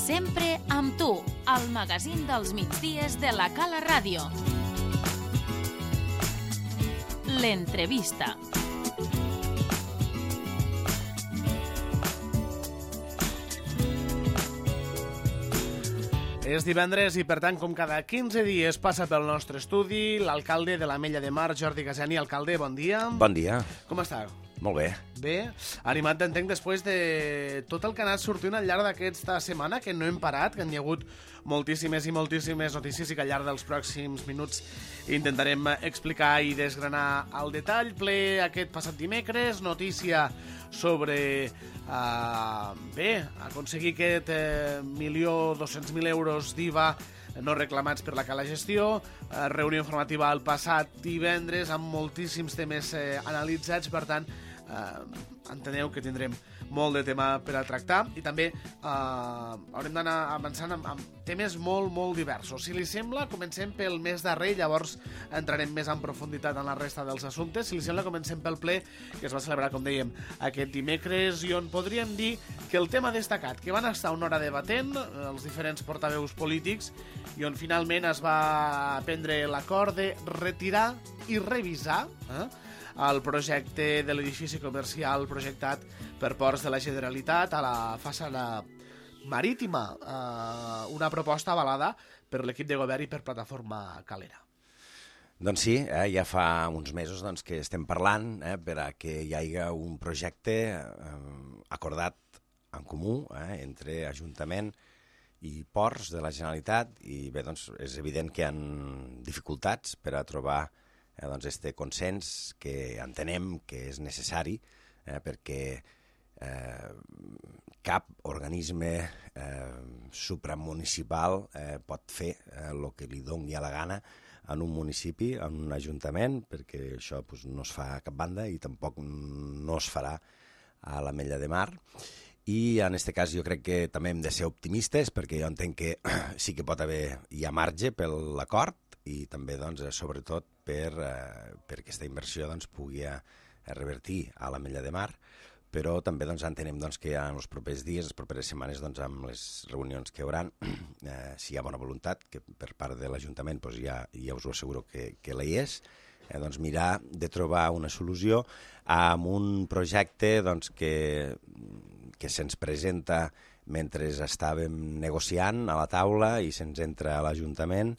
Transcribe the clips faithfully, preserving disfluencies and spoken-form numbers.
Sempre amb tu, al magazín dels migdies de la Cala Ràdio. L'entrevista. És divendres i, per tant, com cada quinze dies passa pel nostre estudi l'alcalde de l'Ametlla de Mar, Jordi Gasani. Alcalde, bon dia. Bon dia. Com està? Molt bé. Bé. Animat, entenc, després de tot el que ha anat sortint al llarg d'aquesta setmana, que no hem parat, que hi ha hagut moltíssimes i moltíssimes notícies i que al llarg dels pròxims minuts intentarem explicar i desgranar al detall. Ple aquest passat dimecres, notícia sobre uh, bé, aconseguir aquest eh, milió dos-cents mil euros d'I V A no reclamats per la Cala Gestió, eh, reunió informativa el passat divendres amb moltíssims temes eh, analitzats, per tant, eh, enteneu que tindrem molt de tema per a tractar i també eh, haurem d'anar avançant amb, amb temes molt, molt diversos. Si li sembla, comencem pel més darrer, llavors entrarem més en profunditat en la resta dels assumptes. Si li sembla, comencem pel ple que es va celebrar, com dèiem, aquest dimecres i on podríem dir que el tema destacat, que van estar una hora debatent els diferents portaveus polítics i on finalment es va prendre l'acord de retirar i revisar eh, el projecte de l'edifici comercial projectat per Ports de la Generalitat a la façana marítima, eh, una proposta avalada per l'equip de govern i per Plataforma Calera. Doncs sí, eh, ja fa uns mesos doncs, que estem parlant eh, per a que hi hagi un projecte eh, acordat en comú eh, entre Ajuntament i Ports de la Generalitat i bé, doncs, és evident que hi ha dificultats per a trobar eh, doncs, este consens que entenem que és necessari eh, perquè eh, cap organisme eh, supramunicipal eh, pot fer el eh, que li doni a la gana en un municipi, en un ajuntament, perquè això pues, no es fa a cap banda i tampoc no es farà a l'Ametlla de Mar. I en aquest cas jo crec que també hem de ser optimistes perquè jo entenc que sí que pot haver hi ha marge per l'acord i també doncs, sobretot per, eh, per aquesta inversió doncs, pugui eh, revertir a l'Ametlla de Mar, però també doncs, entenem doncs, que en els propers dies, les properes setmanes, doncs, amb les reunions que hi haurà, eh, si hi ha bona voluntat, que per part de l'Ajuntament doncs, ja, ja us ho asseguro que, que la hi és, eh, doncs, mirar de trobar una solució amb un projecte doncs, que, que se'ns presenta mentre estàvem negociant a la taula i se'ns entra a l'Ajuntament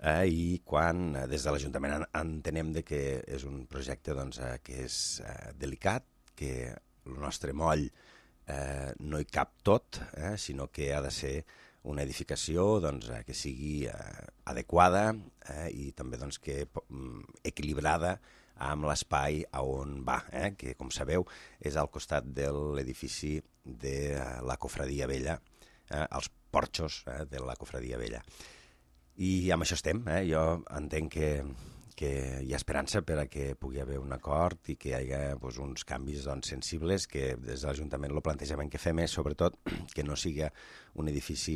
eh, i quan eh, des de l'Ajuntament entenem de que és un projecte doncs, eh, que és eh, delicat, que el nostre moll eh, no hi cap tot, eh, sinó que ha de ser una edificació doncs, eh, que sigui eh, adequada eh, i també doncs, que equilibrada amb l'espai a on va, eh, que com sabeu és al costat de l'edifici de la Cofradia Vella, eh, els porxos eh, de la Cofradia Vella. I amb això estem, eh? Jo entenc que que hi ha esperança per a que pugui haver un acord i que hi hagi doncs, uns canvis doncs, sensibles que des de l'Ajuntament el plantejament que fem és sobretot que no sigui un edifici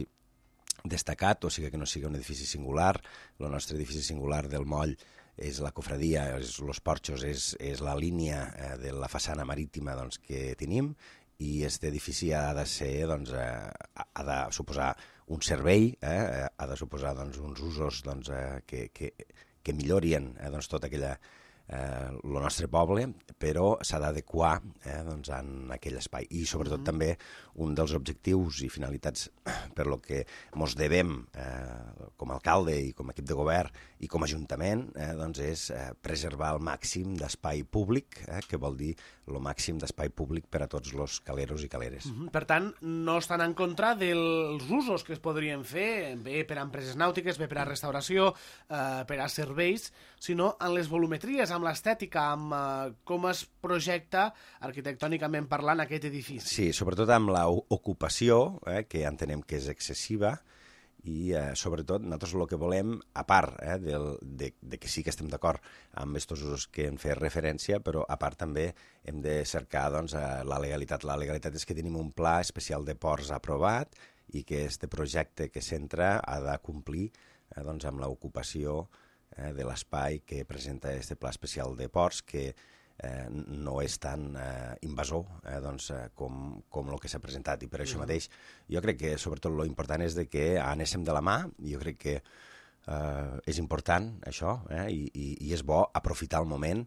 destacat, o sigui que no sigui un edifici singular. El nostre edifici singular del moll és la cofradia, és, els porxos, és, és la línia eh, de la façana marítima doncs, que tenim i aquest edifici ha de ser, doncs, eh, ha de suposar un servei, eh, ha de suposar doncs, uns usos doncs, eh, que, que que millorien eh, doncs, tot aquella, eh, el nostre poble, però s'ha d'adequar eh, doncs, en aquell espai. I sobretot mm-hmm. també un dels objectius i finalitats per lo que mos devem eh, com a alcalde i com a equip de govern i com a ajuntament eh, doncs és eh, preservar el màxim d'espai públic, eh, que vol dir el màxim d'espai públic per a tots els caleros i caleres. Mm-hmm. Per tant, no estan en contra dels usos que es podrien fer, bé per a empreses nàutiques, bé per a restauració, eh, per a serveis, sinó en les volumetries, amb l'estètica, amb eh, com es projecta arquitectònicament parlant aquest edifici. Sí, sobretot amb l'ocupació, eh, que entenem que és excessiva, i eh, sobretot nosaltres el que volem, a part eh, del, de, de que sí que estem d'acord amb aquests usos que hem fet referència, però a part també hem de cercar doncs, la legalitat. La legalitat és que tenim un pla especial de ports aprovat i que este projecte que s'entra ha de complir eh, doncs, amb l'ocupació eh, de l'espai que presenta este pla especial de ports, que eh, no és tan eh, invasor eh, doncs, eh, com, com el que s'ha presentat. I per això mateix jo crec que sobretot lo important és de que anéssim de la mà. Jo crec que eh, és important això eh, i, i, i és bo aprofitar el moment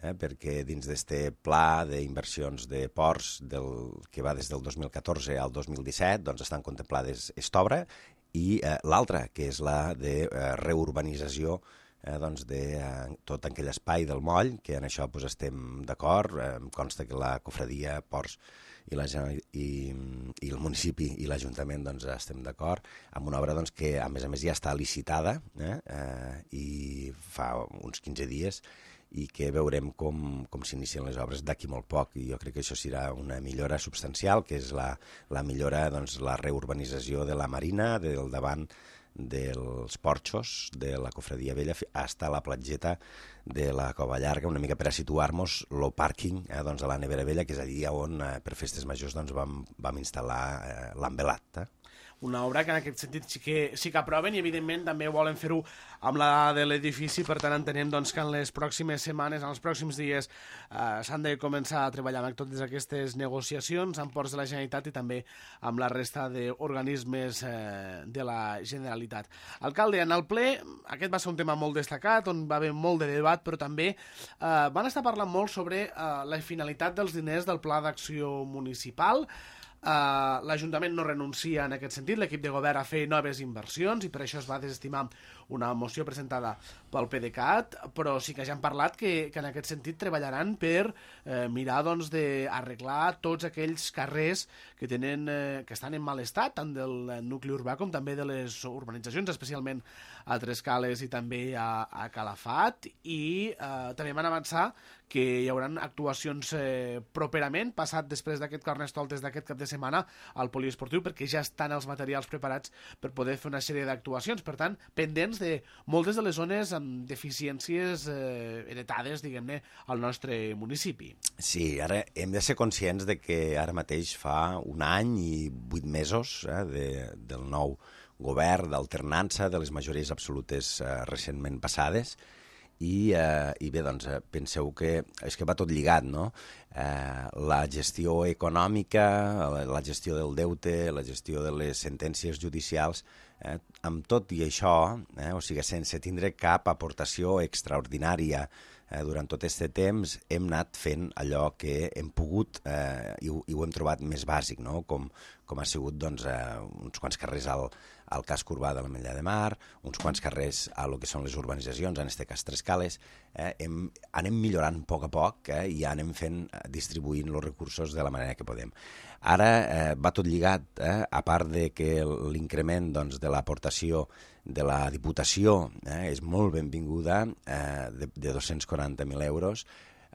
eh, perquè dins d'este pla d'inversions de ports del, que va des del dos mil catorze al dos mil disset doncs estan contemplades esta obra i eh, l'altra, que és la de eh, reurbanització Eh, doncs de eh, tot aquell espai del moll, que en això pues, estem d'acord. Eh, em consta que la cofradia, Ports i, la, i, i el municipi i l'Ajuntament doncs, estem d'acord amb una obra doncs, que a més a més ja està licitada eh, eh, i fa uns quinze dies i que veurem com, com s'inicien les obres d'aquí molt poc, i jo crec que això serà una millora substancial, que és la, la millora, doncs, la reurbanització de la marina, del davant dels porxos de la Cofradia Vella fins a la platgeta de la Cova Llarga, una mica per a situar-nos el pàrquing eh, doncs, a la Nevera Vella, que és allí on eh, per festes majors doncs, vam, vam instal·lar eh, l'envelat. Eh? Una obra que en aquest sentit sí que, sí que aproven i evidentment també volen fer-ho amb la de l'edifici, per tant entenem doncs, que en les pròximes setmanes, en els pròxims dies eh, s'han de començar a treballar amb totes aquestes negociacions amb Ports de la Generalitat i també amb la resta d'organismes eh, de la Generalitat. Alcalde, en el ple aquest va ser un tema molt destacat on va haver molt de debat, però també eh, van estar parlant molt sobre eh, la finalitat dels diners del Pla d'Acció Municipal. Uh, l'Ajuntament no renuncia en aquest sentit, l'equip de govern a fer noves inversions i per això es va desestimar una moció presentada pel PDeCAT, però sí que ja han parlat que, que en aquest sentit treballaran per eh, mirar doncs, d'arreglar tots aquells carrers que, tenen, eh, que estan en mal estat, tant del nucli urbà com també de les urbanitzacions, especialment a Trescales i també a, a Calafat, i eh, també van avançar que hi haurà actuacions eh, properament, passat després d'aquest Carnestoltes d'aquest cap de setmana al poliesportiu, perquè ja estan els materials preparats per poder fer una sèrie d'actuacions. Per tant, pendents de moltes de les zones amb deficiències eh, heretades, diguem-ne, al nostre municipi. Sí, ara hem de ser conscients de que ara mateix fa un any i vuit mesos eh, de, del nou govern d'alternança de les majories absolutes eh, recentment passades. I, eh, i bé, doncs, penseu que és que va tot lligat, no? Eh, la gestió econòmica, la, la gestió del deute, la gestió de les sentències judicials, eh, amb tot i això, eh, o sigui, sense tindre cap aportació extraordinària eh, durant tot aquest temps, hem anat fent allò que hem pogut eh, i, ho, i ho hem trobat més bàsic, no? Com, com ha sigut doncs, eh, uns quants carrers al, al casc urbà de l'Ametlla de Mar, uns quants carrers a lo que són les urbanitzacions, en aquest cas Trescales, eh, hem, anem millorant a poc a poc eh, i anem fent, distribuint els recursos de la manera que podem. Ara eh, va tot lligat, eh, a part de que l'increment doncs, de l'aportació de la Diputació eh, és molt benvinguda, eh, de, de dos-cents quaranta mil euros,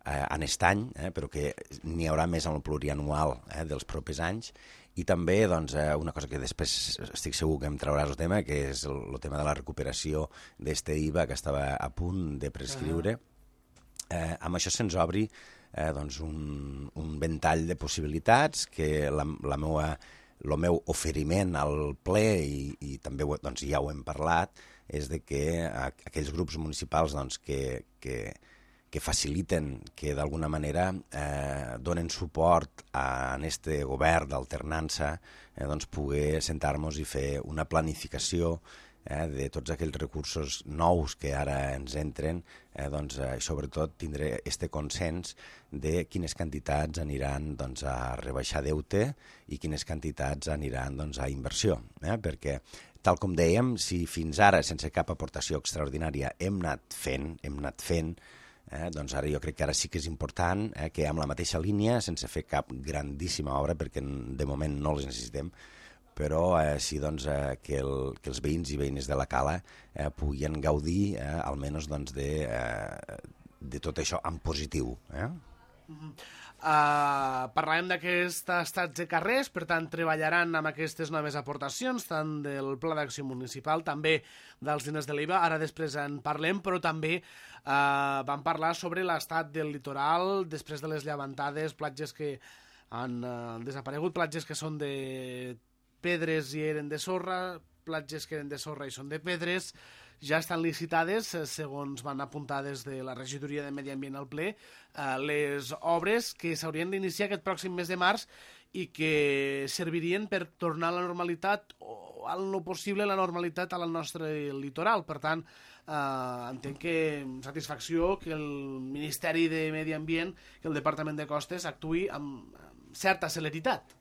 eh, en aquest any, eh, però que n'hi haurà més en el plurianual eh, dels propers anys. I també doncs, una cosa que després estic segur que em trauràs el tema, que és el, el tema de la recuperació d'este I V A que estava a punt de prescriure. Eh, amb això se'ns obri eh, doncs un, un ventall de possibilitats que la, la meua, el meu oferiment al ple, i, i també doncs, ja ho hem parlat, és de que aquells grups municipals doncs, que, que que faciliten, que d'alguna manera eh, donen suport a este govern d'alternança, eh, doncs poder sentar-nos i fer una planificació eh, de tots aquells recursos nous que ara ens entren, eh, doncs, eh, sobretot tindre este consens de quines quantitats aniran doncs, a rebaixar deute i quines quantitats aniran doncs, a inversió, eh, perquè tal com dèiem, si fins ara, sense cap aportació extraordinària, hem anat fent, hem anat fent, Eh, doncs ara jo crec que ara sí que és important eh, que amb la mateixa línia, sense fer cap grandíssima obra, perquè de moment no les necessitem, però eh, sí doncs, eh, que, el, que els veïns i veïnes de la Cala eh, puguin gaudir eh, almenys doncs, de, eh, de tot això en positiu. Eh? Mm-hmm. Uh, parlarem d'aquests estats de carrers, per tant treballaran amb aquestes noves aportacions tant del Pla d'Acció Municipal, també dels diners de l'I V A, ara després en parlem, però també uh, vam parlar sobre l'estat del litoral després de les llevantades, platges que han uh, desaparegut, platges que són de pedres i eren de sorra, platges que eren de sorra i són de pedres. ja estan licitades, segons van apuntar des de la regidoria de Medi Ambient al ple, les obres que s'haurien d'iniciar aquest pròxim mes de març i que servirien per tornar a la normalitat o al no possible la normalitat al nostre litoral. Per tant, eh, entenc que amb satisfacció que el Ministeri de Medi Ambient, que el Departament de Costes actuï amb certa celeritat.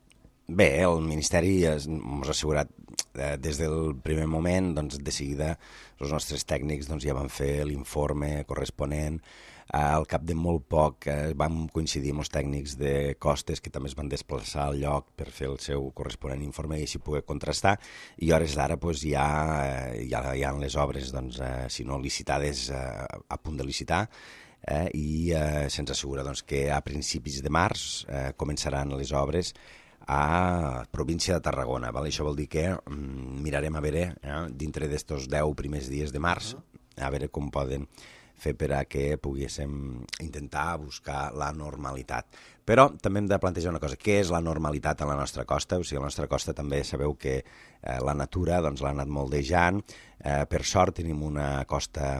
Bé, el Ministeri ens ha assegurat eh, des del primer moment, doncs de seguida els nostres tècnics doncs, ja van fer l'informe corresponent. Eh, al cap de molt poc eh, vam coincidir amb els tècnics de Costes que també es van desplaçar al lloc per fer el seu corresponent informe i així poder contrastar. I a hores d'ara doncs, ja, eh, ja hi ha les obres, doncs, eh, si no licitades, eh, a punt de licitar. Eh, i eh, se'ns assegura doncs, que a principis de març eh, començaran les obres a província de Tarragona. Val? Això vol dir que mm, mirarem a veure, eh, dintre d'estos deu primers dies de març, a veure com poden fer per a que poguéssim intentar buscar la normalitat. Però també hem de plantejar una cosa, què és la normalitat a la nostra costa? O sigui, a la nostra costa també sabeu que eh, la natura doncs, l'ha anat moldejant. Eh, per sort tenim una costa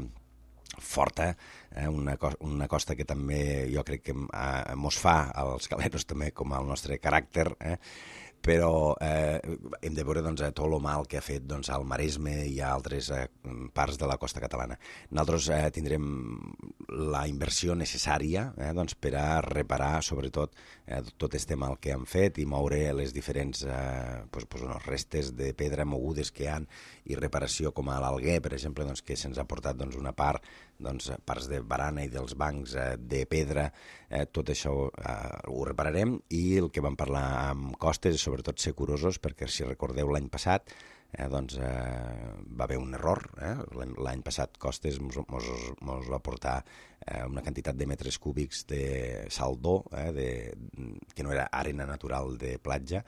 forta, eh, una, co una costa que també jo crec que eh, mos fa als galeros també com al nostre caràcter, eh? Però eh, hem de veure doncs, tot el mal que ha fet doncs, al Maresme i a altres eh, parts de la costa catalana. Nosaltres eh, tindrem la inversió necessària eh, doncs, per a reparar sobretot eh, tot este mal que han fet i moure les diferents eh, pues, pues, unes restes de pedra mogudes que hi ha i reparació com a l'Alguer, per exemple, doncs, que se'ns ha portat doncs, una part, doncs, parts de barana i dels bancs eh, de pedra, eh, tot això eh, ho repararem i el que vam parlar amb Costes és sobretot ser curosos perquè si recordeu l'any passat eh, doncs, eh, va haver un error, eh? L'any passat Costes mos, mos, mos va portar eh, una quantitat de metres cúbics de saldó, eh, de, que no era arena natural de platja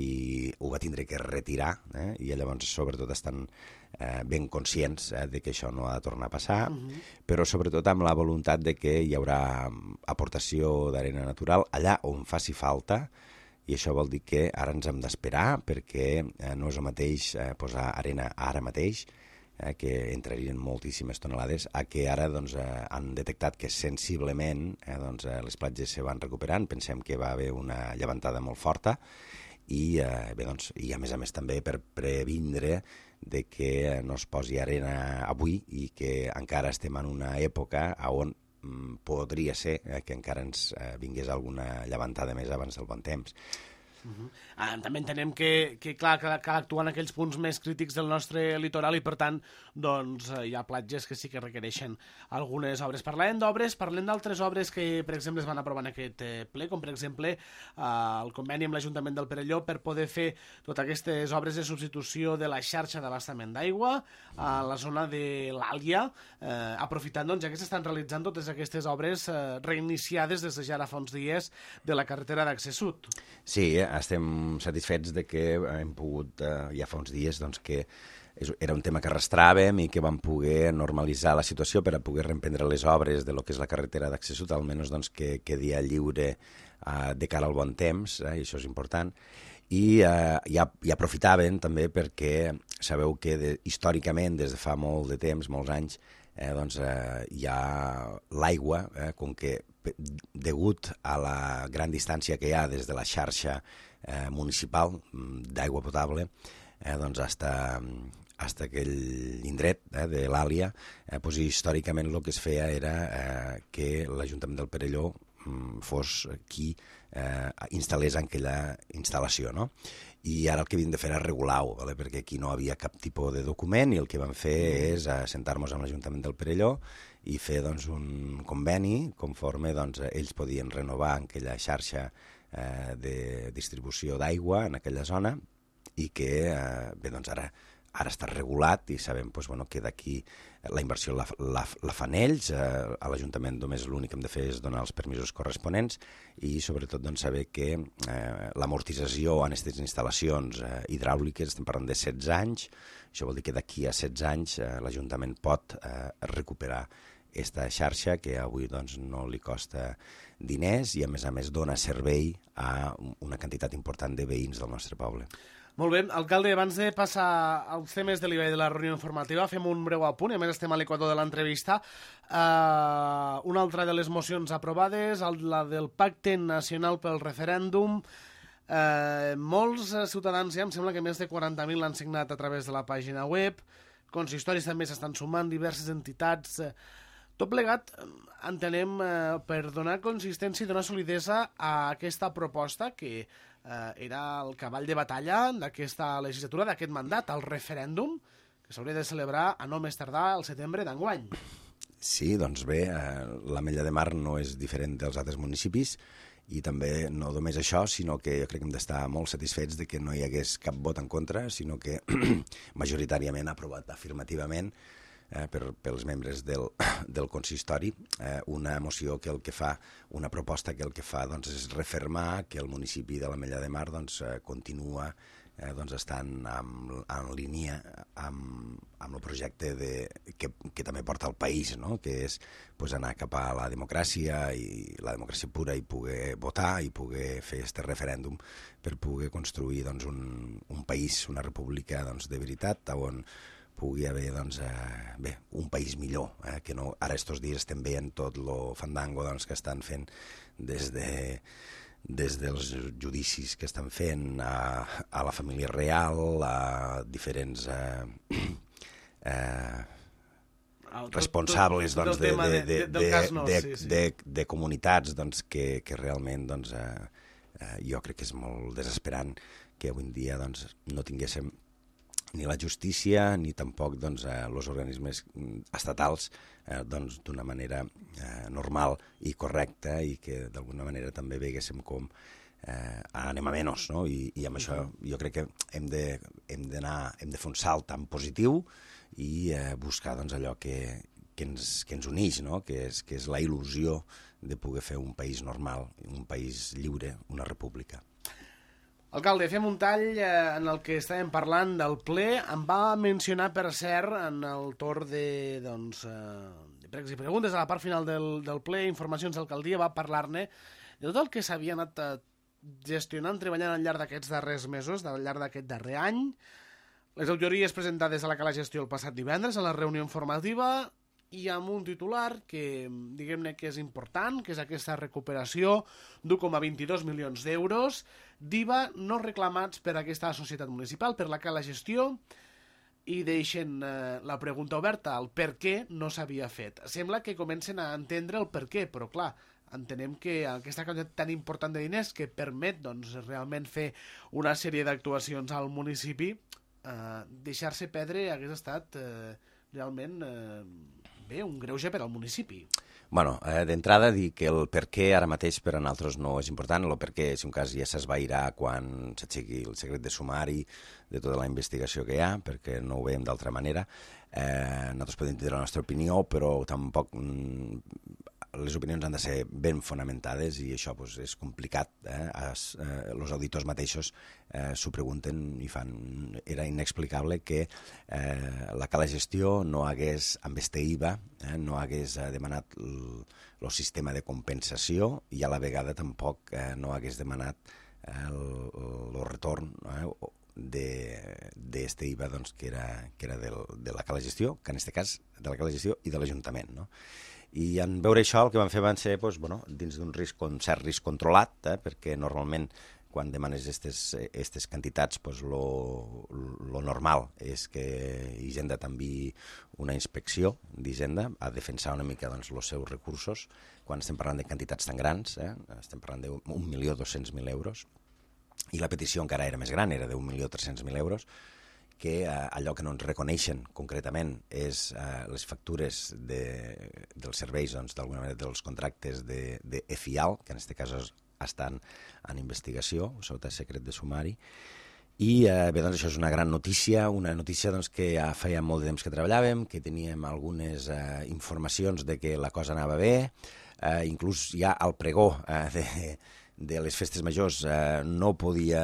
i ho va tindre que retirar eh? I llavors sobretot estan eh, ben conscients eh, de que això no ha de tornar a passar, uh-huh. Però sobretot amb la voluntat de que hi haurà aportació d'arena natural allà on faci falta. I això vol dir que ara ens hem d'esperar perquè eh, no és el mateix eh, posar arena ara mateix, eh, que entrarien moltíssimes tonelades, a que ara doncs, eh, han detectat que sensiblement eh, doncs, eh, les platges se van recuperant. Pensem que va haver una llevantada molt forta i, eh, bé, doncs, i a més a més també per previndre de que no es posi arena avui i que encara estem en una època on podria ser eh, que encara ens eh, vingués alguna llevantada més abans del bon temps. Uh-huh. Ah, també entenem que, que clar, cal, cal actuar en aquells punts més crítics del nostre litoral i per tant doncs, hi ha platges que sí que requereixen algunes obres. Parlem d'obres, parlem d'altres obres que per exemple es van aprovar en aquest eh, ple, com per exemple eh, el conveni amb l'Ajuntament del Perelló per poder fer totes aquestes obres de substitució de la xarxa d'abastament d'aigua a la zona de l'Àlia, eh, aprofitant doncs, ja que s'estan realitzant totes aquestes obres eh, reiniciades des de ja fa uns dies de la carretera d'accés sud. Sí, eh? Estem satisfets de que hem pogut, eh, ja fa uns dies, doncs, que era un tema que arrastràvem i que vam poder normalitzar la situació per a poder reemprendre les obres de lo que és la carretera d'accés sud, almenys doncs, que quedi lliure eh, de cara al bon temps, eh, i això és important. I, eh, i, i aprofitaven també perquè sabeu que de, històricament, des de fa molt de temps, molts anys, eh, doncs, eh, hi ha l'aigua, eh, com que degut a la gran distància que hi ha des de la xarxa eh, municipal d'aigua potable, eh, doncs hasta, hasta aquell indret eh, de l'Àlia, eh, doncs històricament el que es feia era eh, que l'Ajuntament del Perelló mm, fos qui eh, instal·lés en aquella instal·lació, no? I ara el que havíem de fer era regular-ho, ¿vale? Perquè aquí no havia cap tipus de document i el que vam fer és assentar-nos amb l'Ajuntament del Perelló i fer doncs, un conveni conforme doncs, ells podien renovar aquella xarxa eh, de distribució d'aigua en aquella zona i que eh, bé, doncs ara, ara està regulat i sabem doncs, bueno, que d'aquí la inversió la, la, la fan ells, eh, a l'Ajuntament només l'únic que hem de fer és donar els permisos corresponents i sobretot doncs, saber que eh, l'amortització en aquestes instal·lacions eh, hidràuliques, estem parlant de setze anys, això vol dir que d'aquí a setze anys eh, l'Ajuntament pot eh, recuperar aquesta xarxa que avui doncs, no li costa diners i a més a més dona servei a una quantitat important de veïns del nostre poble. Molt bé, alcalde, abans de passar als temes de l'I B A I de la reunió informativa, fem un breu apunt, i a més estem a l'equador de l'entrevista. Uh, una altra de les mocions aprovades, la del Pacte Nacional pel Referèndum. Uh, molts ciutadans, ja em sembla que més de quaranta mil l'han signat a través de la pàgina web, consistoris també s'estan sumant, diverses entitats. Uh, tot plegat, entenem, uh, per donar consistència i donar solidesa a aquesta proposta que Uh, era el cavall de batalla d'aquesta legislatura, d'aquest mandat, el referèndum, que s'hauria de celebrar a no més tardar al setembre d'enguany. Sí, doncs bé, eh, l'Ametlla de Mar no és diferent dels altres municipis i també no només això, sinó que jo crec que hem d'estar molt satisfets de que no hi hagués cap vot en contra, sinó que majoritàriament ha aprovat afirmativament Eh, per, pels membres del, del consistori, eh, una moció que el que fa, una proposta que el que fa doncs, és refermar que el municipi de l'Ametlla de Mar doncs, eh, continua eh, doncs, estant en, en línia amb, amb el projecte de, que, que també porta el país, no? Que és pues, anar cap a la democràcia i la democràcia pura i poder votar i poder fer este referèndum per poder construir doncs, un, un país, una república doncs, de veritat on pugui haver doncs, eh, bé, un país millor, eh, que no, ara estos dies estem veient tot el fandango doncs, que estan fent des, de, des dels judicis que estan fent a, a la família real, a diferents eh, eh, responsables doncs, de, de, de, de, de, de, de, de comunitats doncs, que, que realment doncs, eh, eh, jo crec que és molt desesperant que avui en dia doncs, no tinguéssim ni la justícia ni tampoc doncs, eh, els organismes estatals eh, doncs, d'una manera eh, normal i correcta i que d'alguna manera també veguéssim com eh, anem a menys, no? I, i amb això jo crec que hem de, hem d'anar, hem de fer un salt tan positiu i eh, buscar doncs, allò que, que, ens, que ens uneix, no? Que és, que és la il·lusió de poder fer un país normal, un país lliure, una república. Alcalde, fem un tall eh, en el que estàvem parlant del ple. Em va mencionar, per cert, en el torn de, doncs, eh, de pregs i preguntes, a la part final del, del ple, informacions d'alcaldia, va parlar-ne de tot el que s'havia anat eh, gestionant, treballant al llarg d'aquests darrers mesos, al llarg d'aquest darrer any. Les auditories presentades a la Cala Gestió el passat divendres, a la reunió informativa, i amb un titular que, diguem-ne, que és important, que és aquesta recuperació d'un coma vint-i-dos milions d'euros d'I V A no reclamats per aquesta societat municipal, per la Cala Gestió, i deixen eh, la pregunta oberta, el per què no s'havia fet. Sembla que comencen a entendre el per què, però clar, entenem que aquesta quantitat tan important de diners que permet doncs, realment fer una sèrie d'actuacions al municipi, eh, deixar-se perdre hagués estat eh, realment eh, bé, un greuge per al municipi. Bueno, eh, d'entrada dir que el per què ara mateix per a nosaltres no és important, el per què, si un cas ja s'esvairà quan s'aixequi el secret de sumari de tota la investigació que hi ha, perquè no ho veiem d'altra manera. Eh, nosaltres podem tenir la nostra opinió, però tampoc mm, les opinions han de ser ben fonamentades i això pues, és complicat. Eh? Es, eh, els auditors mateixos eh, s'ho pregunten i fan... Era inexplicable que eh, la Cala Gestió no hagués, amb este I V A, eh, no hagués eh, demanat el, el sistema de compensació i a la vegada tampoc eh, no hagués demanat eh, el, el retorn eh, d'este I V A doncs, que era, que era del, de la Cala Gestió, que en aquest cas de la Cala Gestió i de l'Ajuntament, no? I en veure això el que van fer van ser doncs, bueno, dins d'un risc, un cert risc controlat, eh, perquè normalment quan demanes aquestes quantitats pues, lo, lo normal és que Hisenda t'enviï una inspecció d'Hisenda a defensar una mica doncs, els seus recursos quan estem parlant de quantitats tan grans, eh, estem parlant d'un milió dos-cents mil euros i la petició encara era més gran, era d'un milió tres-cents mil euros, que eh, allò que no ens reconeixen concretament és eh, les factures de, dels serveis, doncs, d'alguna manera dels contractes de, de EFIAL, que en aquest cas estan en investigació, sota secret de sumari. I eh, bé, doncs això és una gran notícia, una notícia doncs, que ja feia molt de temps que treballàvem, que teníem algunes eh, informacions de que la cosa anava bé, eh, inclús ja al pregó eh, de... de les festes majors eh, no podia...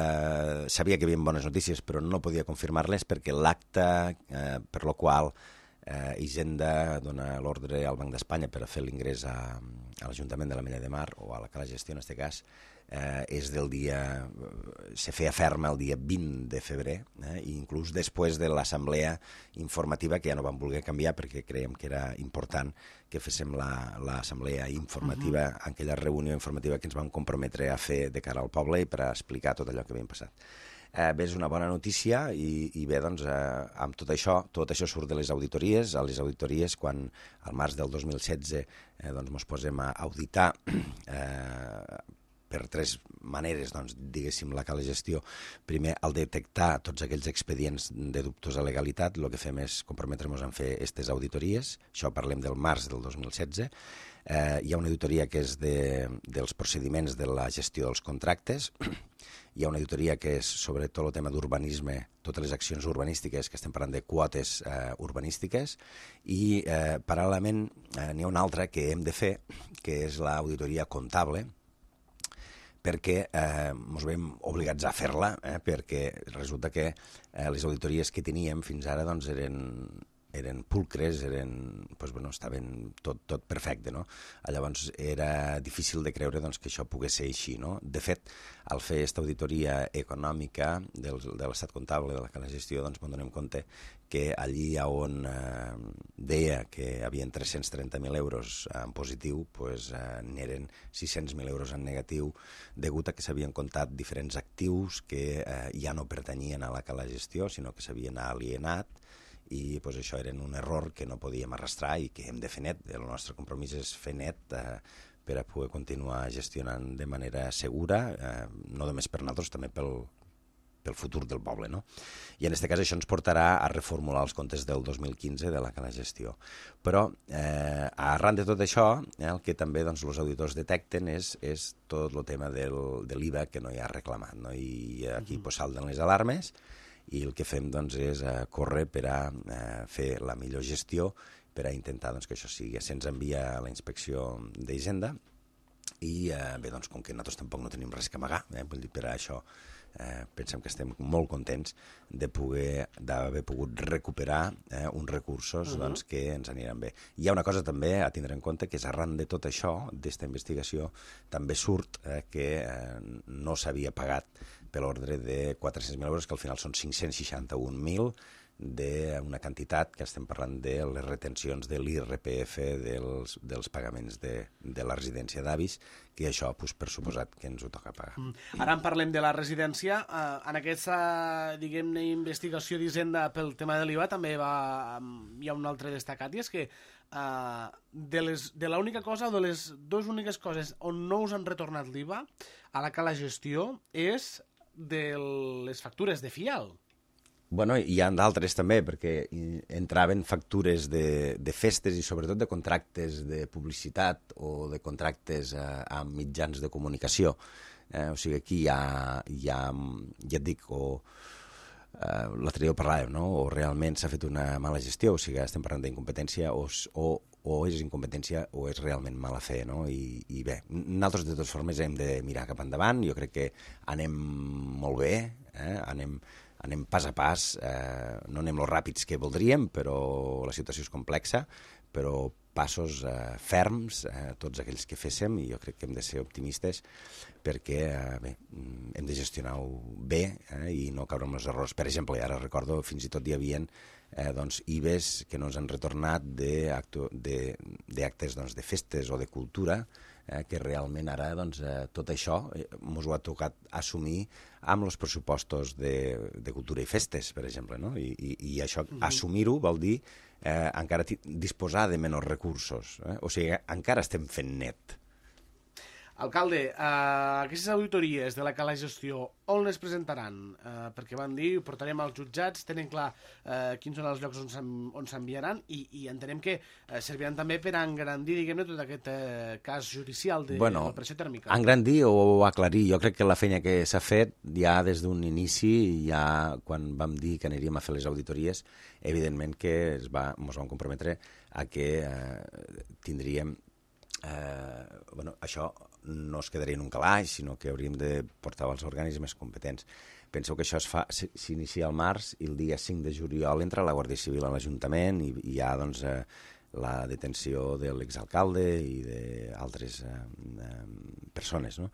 Sabia que hi havia bones notícies, però no podia confirmar-les perquè l'acte eh, per lo qual eh, Hisenda dona l'ordre al Banc d'Espanya per a fer l'ingrés a, a l'Ajuntament de l'Ametlla de Mar, o a la Cala Gestió en aquest cas, eh, és del dia... se feia ferma el dia vint de febrer, eh, i inclús després de l'assemblea informativa, que ja no vam voler canviar perquè creiem que era important que féssim l'assemblea informativa, uh -huh. aquella reunió informativa que ens vam comprometre a fer de cara al poble i per a explicar tot allò que havia passat. Eh, bé, és una bona notícia i, i bé, doncs, eh, amb tot això, tot això surt de les auditories. A les auditories, quan al març del dos mil setze eh, doncs, mos posem a auditar eh, per tres maneres, doncs, diguéssim, la Cala Gestió. Primer, al detectar tots aquells expedients de dubtosa legalitat, el que fem és comprometre'ns a fer aquestes auditories. Això parlem del març del dos mil setze. Eh, hi ha una auditoria que és de, dels procediments de la gestió dels contractes. Hi ha una auditoria que és sobre tot el tema d'urbanisme, totes les accions urbanístiques, que estem parlant de quotes eh, urbanístiques, i eh, paral·lelament eh, n'hi ha una altra que hem de fer, que és l'auditoria comptable, perquè eh, ens veiem obligats a fer-la, eh, perquè resulta que eh, les auditories que teníem fins ara doncs, eren, eren pulcres, eren, doncs, bueno, estaven tot, tot perfecte, no? Llavors era difícil de creure doncs, que això pogués ser així, no? De fet, al fer aquesta auditoria econòmica del, de l'estat comptable de la Cala Gestió, doncs ens donem compte que allí on eh, deia que hi havia tres-cents trenta mil euros en positiu, doncs eh, n'eren sis-cents mil euros en negatiu, degut a que s'havien comptat diferents actius que eh, ja no pertanyien a la Cala Gestió, sinó que s'havien alienat, i pues, això era un error que no podíem arrastrar i que hem de fer net. El nostre compromís és fer net eh, per a poder continuar gestionant de manera segura, eh, no només per nosaltres, també pel, pel futur del poble, no? I en aquest cas això ens portarà a reformular els comptes del dos mil quinze de la Cala Gestió. Però eh, arran de tot això, eh, el que també doncs, els auditors detecten és, és tot el tema del, de l'I V A que no hi ha reclamat, no? I aquí uh-huh. pues, salten les alarmes, i el que fem doncs, és uh, córrer per a uh, fer la millor gestió, per a intentar doncs, que això sigui. Se'ns envia a la inspecció d'Hisenda i uh, bé, doncs, com que nosaltres tampoc no tenim res que amagar, eh, vull dir, per a això eh, pensem que estem molt contents de poder d'haver pogut recuperar eh, uns recursos uh-huh. doncs, que ens aniran bé. Hi ha una cosa també a tindre en compte, que és arran de tot això, d'esta investigació, també surt eh, que eh, no s'havia pagat per l'ordre de quatre-cents mil euros, que al final són cinc-cents seixanta-un mil, d'una quantitat que estem parlant de les retencions de l'I R P F dels, dels pagaments de, de la residència d'avis, que això, pues, per suposat, que ens ho toca pagar. Mm. Ara en parlem de la residència. Uh, en aquesta, diguem-ne, investigació d'Hisenda pel tema de l'I V A també va, um, hi ha un altre destacat, i és que uh, de, les, de l'única cosa, o de les dues úniques coses on no us han retornat l'I V A a la Cala Gestió és de les factures de fial. Bueno, hi ha d'altres també, perquè entraven factures de, de festes i sobretot de contractes de publicitat o de contractes eh, amb mitjans de comunicació. Eh, o sigui, aquí hi ha, hi ha ja et dic, o eh, l'altre dia ho parlàvem, no? O realment s'ha fet una mala gestió, o sigui, estem parlant d'incompetència, o, o, o és incompetència o és realment mala fe, no? I, i bé, nosaltres de totes formes hem de mirar cap endavant, jo crec que anem molt bé, eh? anem... anem pas a pas, eh, no anem los ràpids que voldríem, però la situació és complexa, però passos eh, ferms, eh, tots aquells que féssim, i jo crec que hem de ser optimistes perquè eh, bé, hem de gestionar-ho bé eh, i no caure en els errors. Per exemple, ara recordo, fins i tot hi havia eh, doncs, I V Es que no ens han retornat d'actes doncs, de festes o de cultura, eh, que realment ara doncs, eh, tot això ens ho ha tocat assumir amb els pressupostos de, de cultura i festes, per exemple, no? I, i, i això, mm-hmm. assumir-ho vol dir eh, encara disposar de menys recursos, eh? O sigui, encara estem fent net. Alcalde, uh, aquestes auditories de la Cala Gestió, on les presentaran? Uh, perquè van dir, ho portarem als jutjats, tenen clar uh, quins són els llocs on s'enviaran i, i entenem que uh, serviran també per engrandir, diguem-ne, tot aquest uh, cas judicial de bueno, la pressió tèrmica. Engrandir o aclarir. Jo crec que la feina que s'ha fet ja des d'un inici, ja quan vam dir que aniríem a fer les auditories, evidentment que es va, ens vam comprometre a que uh, tindríem Eh, bueno, això no es quedaria en un calaix, sinó que hauríem de portar als organismes competents. Penseu que això es fa, s'inicia al març i el dia cinc de juliol entra la Guàrdia Civil a l'Ajuntament i, i hi ha doncs, eh, la detenció de l'exalcalde i d'altres eh, eh, persones, no?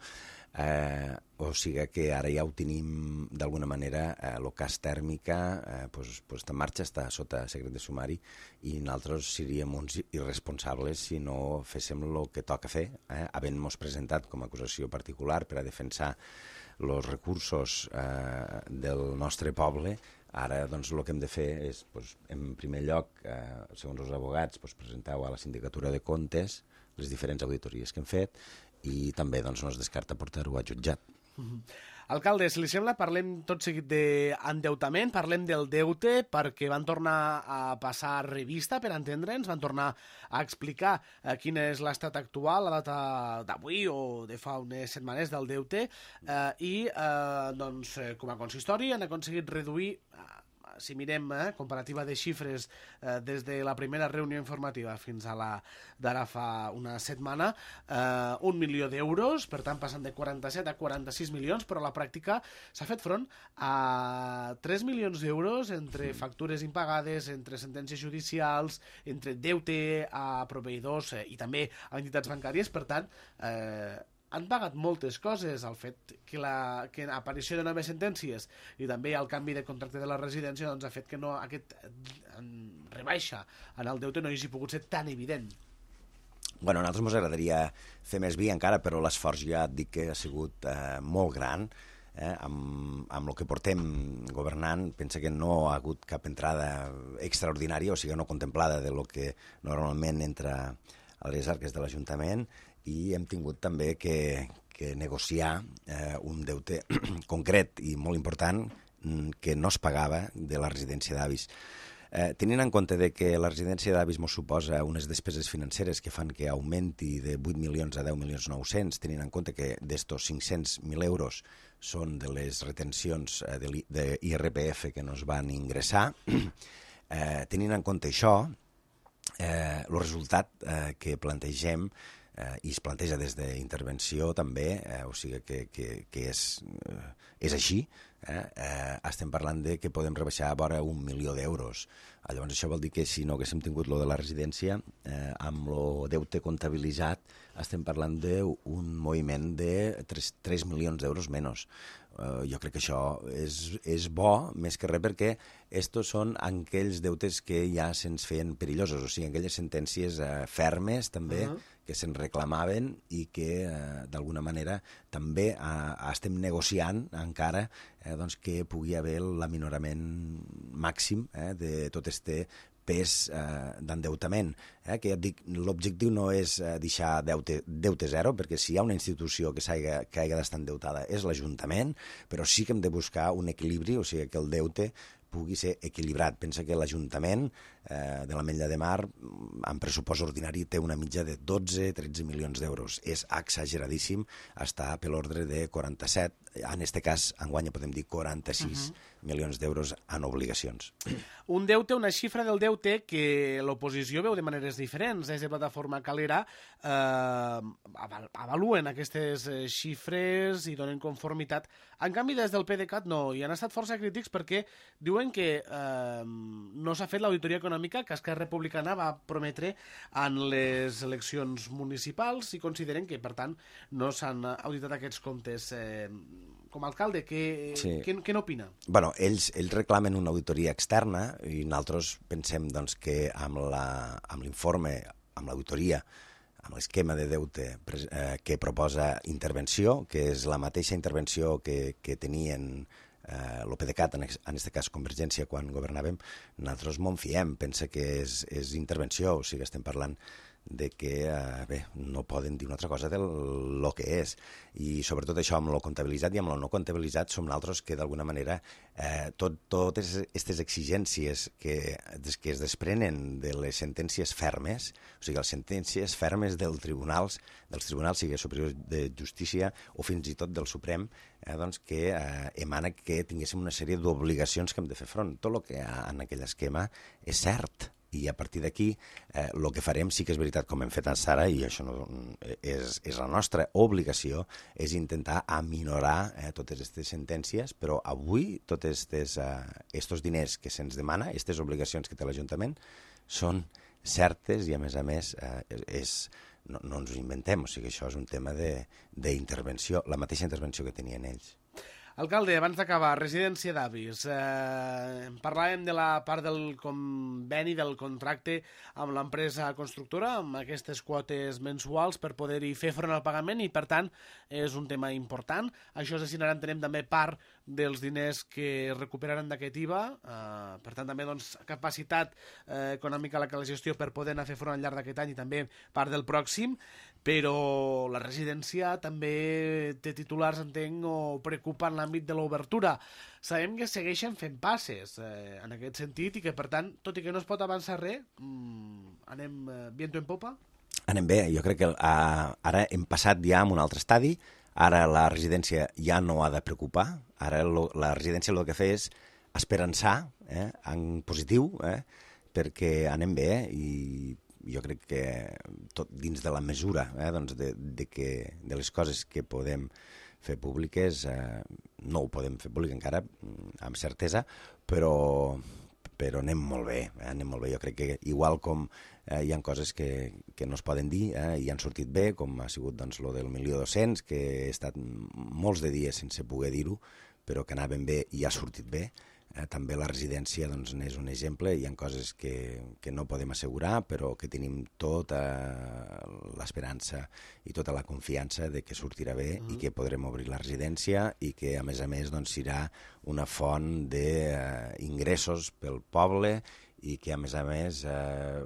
Eh, o sigui que ara ja ho tenim d'alguna manera, eh, el cas tèrmica eh, pues, pues està en marxa, està sota secret de sumari i nosaltres seríem uns irresponsables si no féssim el que toca fer, eh, havent-nos presentat com a acusació particular per a defensar els recursos eh, del nostre poble. Ara doncs, el que hem de fer és, doncs, en primer lloc, eh, segons els advocats, doncs, presenteu a la Sindicatura de Comptes les diferents auditories que hem fet i també doncs, no es descarta portar-ho a jutjat. Mm-hmm. Alcalde, si li sembla, parlem tot seguit d'endeutament, parlem del deute perquè van tornar a passar revista, per entendre'ns, van tornar a explicar eh, quin és l'estat actual, la data d'avui o de fa unes setmanes del deute, eh, i eh, doncs, eh, com a consistori han aconseguit reduir, eh, si mirem eh, comparativa de xifres eh, des de la primera reunió informativa fins a la d'ara fa una setmana, eh, un milió d'euros, per tant passant de quaranta-set a quaranta-sis milions, però a la pràctica s'ha fet front a tres milions d'euros entre factures impagades, entre sentències judicials, entre deute a proveïdors eh, i també a entitats bancàries. Per tant, eh, han pagat moltes coses. El fet que la que aparició de noves sentències i també el canvi de contracte de la residència doncs, ha fet que no, aquest en rebaixa en el deute no hagi pogut ser tan evident. Bueno, a nosaltres ens agradaria fer més vi encara, però l'esforç ja et dic que ha sigut eh, molt gran. Eh, amb, amb el que portem governant, pensa que no ha hagut cap entrada extraordinària, o sigui, no contemplada de lo que normalment entra a les arques de l'Ajuntament, i hem tingut també que, que negociar eh, un deute concret i molt important que no es pagava de la residència d'avis. Eh, tenint en compte de que la residència d'avis ens suposa unes despeses financeres que fan que augmenti de vuit milions a deu milions nou-cents, tenint en compte que d'estos cinc-cents mil euros són de les retencions eh, de I R P F que nos van ingressar, eh, tenint en compte això, eh, el resultat eh, que plantegem eh, i es planteja des d'intervenció també, eh, o sigui que, que, que és, eh, és així, eh, eh, estem parlant de que podem rebaixar a vora un milió d'euros. Llavors això vol dir que si no haguéssim tingut lo de la residència, eh, amb el deute comptabilitzat estem parlant d'un moviment de tres milions d'euros menys. Uh, jo crec que això és, és bo, més que res, perquè estos són aquells deutes que ja se'ns feien perillosos, o sigui, aquelles sentències uh, fermes també, uh -huh. que se'n reclamaven i que uh, d'alguna manera també uh, estem negociant encara eh, doncs, que pugui haver l'aminorament màxim eh, de tot este pes eh, d'endeutament, eh, que ja et dic, l'objectiu no és eh, deixar deute, deute zero, perquè si hi ha una institució que s'haiga que hagi d'estar endeutada és l'Ajuntament, però sí que hem de buscar un equilibri, o sigui que el deute pugui ser equilibrat. Pensa que l'Ajuntament eh, de l'Ametlla de Mar, en pressupost ordinari, té una mitja de dotze a tretze milions d'euros. És exageradíssim, està per l'ordre de quaranta-set, en aquest cas, enguany podem dir quaranta-sis uh-huh. milions d'euros en obligacions. Un deute, una xifra del deute que l'oposició veu de maneres diferents. Des de Plataforma Calera eh, avaluen aquestes xifres i donen conformitat. En canvi, des del PDeCAT no, i han estat força crítics perquè diuen que eh, no s'ha fet l'auditoria econòmica que Esquerra Republicana va prometre en les eleccions municipals i consideren que, per tant, no s'han auditat aquests comptes. Eh, com a alcalde, què, sí. què, què n'opina? Bueno, ells, ells reclamen una auditoria externa i nosaltres pensem doncs, que amb l'informe, amb l'auditoria, amb l'esquema de deute eh, que proposa intervenció, que és la mateixa intervenció que, que tenien eh, el PDeCAT, en aquest cas Convergència, quan governàvem, nosaltres m'ho fiem, pensa que és, és intervenció, o sigui, estem parlant de que, eh, bé, no poden dir una altra cosa del lo que és. I sobretot això amb lo comptabilitzat i amb lo no comptabilitzat som nosaltres que d'alguna manera eh, tot, totes aquestes exigències que, que es desprenen de les sentències fermes, o sigui, les sentències fermes dels tribunals, dels tribunals, sigui superior de justícia o fins i tot del Suprem, eh, doncs que eh, emana que tinguéssim una sèrie d'obligacions que hem de fer front. Tot el que hi ha en aquell esquema és cert, i a partir d'aquí el que farem sí que és veritat, com hem fet a Sara, i això no, és, és la nostra obligació, és intentar aminorar eh, totes aquestes sentències, però avui tots aquests eh, diners que se'ns demana, aquestes obligacions que té l'Ajuntament, són certes i, a més a més, eh, és, no, no ens ho inventem, o sigui, això és un tema d'intervenció, la mateixa intervenció que tenien ells. Alcalde, abans d'acabar, residència d'avis. Eh, parlàvem de la part del conveni, del contracte amb l'empresa constructora, amb aquestes quotes mensuals per poder-hi fer front al pagament i, per tant, és un tema important. Això es destinarà, entenem, també part dels diners que es recuperaran d'aquest I V A. Eh, per tant, també doncs, capacitat eh, econòmica a la gestió per poder anar a fer front al llarg d'aquest any i també part del pròxim, però la residència també té titulars, entenc, o preocupa en l'àmbit de l'obertura. Sabem que segueixen fent passes eh, en aquest sentit i que, per tant, tot i que no es pot avançar res, mmm, anem eh, viento en popa? Anem bé, jo crec que uh, ara hem passat ja a un altre estadi, ara la residència ja no ha de preocupar, ara lo, la residència el que fa és esperançar eh, en positiu, eh, perquè anem bé eh, i jo crec que tot dins de la mesura eh, doncs de, de, que, de les coses que podem fer públiques, eh, no ho podem fer públic encara, amb certesa, però, però anem molt bé, eh, anem molt bé. Jo crec que igual com eh, hi ha coses que, que no es poden dir eh, i han sortit bé, com ha sigut doncs, lo del milió dos-cents, que he estat molts de dies sense poder dir-ho, però que anaven bé i ha sortit bé. Eh, també la residència doncs, n'és un exemple, hi ha coses que, que no podem assegurar, però que tenim tota l'esperança i tota la confiança de que sortirà bé mm. i que podrem obrir la residència i que, a més a més, doncs, serà una font d'ingressos eh, pel poble i que, a més a més, eh,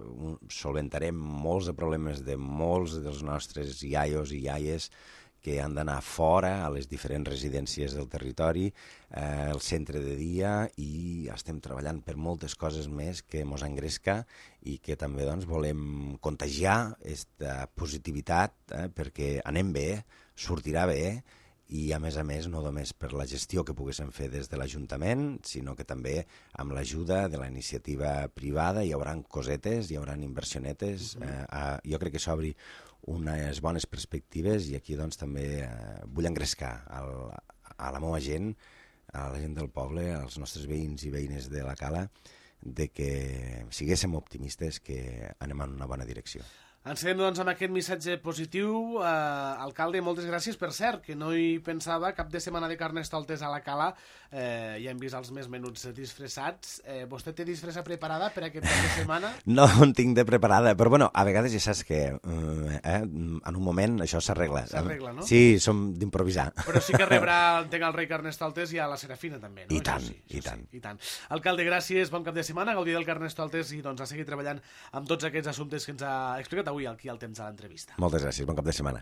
solventarem molts de problemes de molts dels nostres iaios i iaies que han d'anar fora a les diferents residències del territori, eh, el centre de dia, i estem treballant per moltes coses més que mos engresca i que també doncs, volem contagiar aquesta positivitat eh, perquè anem bé, sortirà bé, i a més a més no només per la gestió que poguéssim fer des de l'Ajuntament, sinó que també amb l'ajuda de la iniciativa privada hi haurà cosetes, hi haurà inversionetes, uh-huh. eh, a, jo crec que s'obri unes bones perspectives i aquí doncs també eh, vull engrescar el, a la meva gent, a la gent del poble, als nostres veïns i veïnes de la Cala, de que siguéssim optimistes que anem en una bona direcció. Ens quedem doncs amb aquest missatge positiu. Eh, alcalde, moltes gràcies. Per cert, que no hi pensava, cap de setmana de Carnestoltes a la Cala, eh, ja hem vist els més menuts disfressats. Eh, vostè té disfressa preparada per aquest cap de setmana? No en tinc de preparada, però bueno, a vegades ja saps que eh, en un moment això s'arregla. S'arregla, no? Sí, som d'improvisar. Però sí que rebrà, entenc, el rei Carnestoltes i a la Serafina també, no? I tant, sí, i tant. Sí, i tant. Alcalde, gràcies, bon cap de setmana, gaudir del Carnestoltes i doncs a seguir treballant amb tots aquests assumptes que ens ha explicat avui aquí al temps de l'entrevista. Moltes gràcies, bon cap de setmana.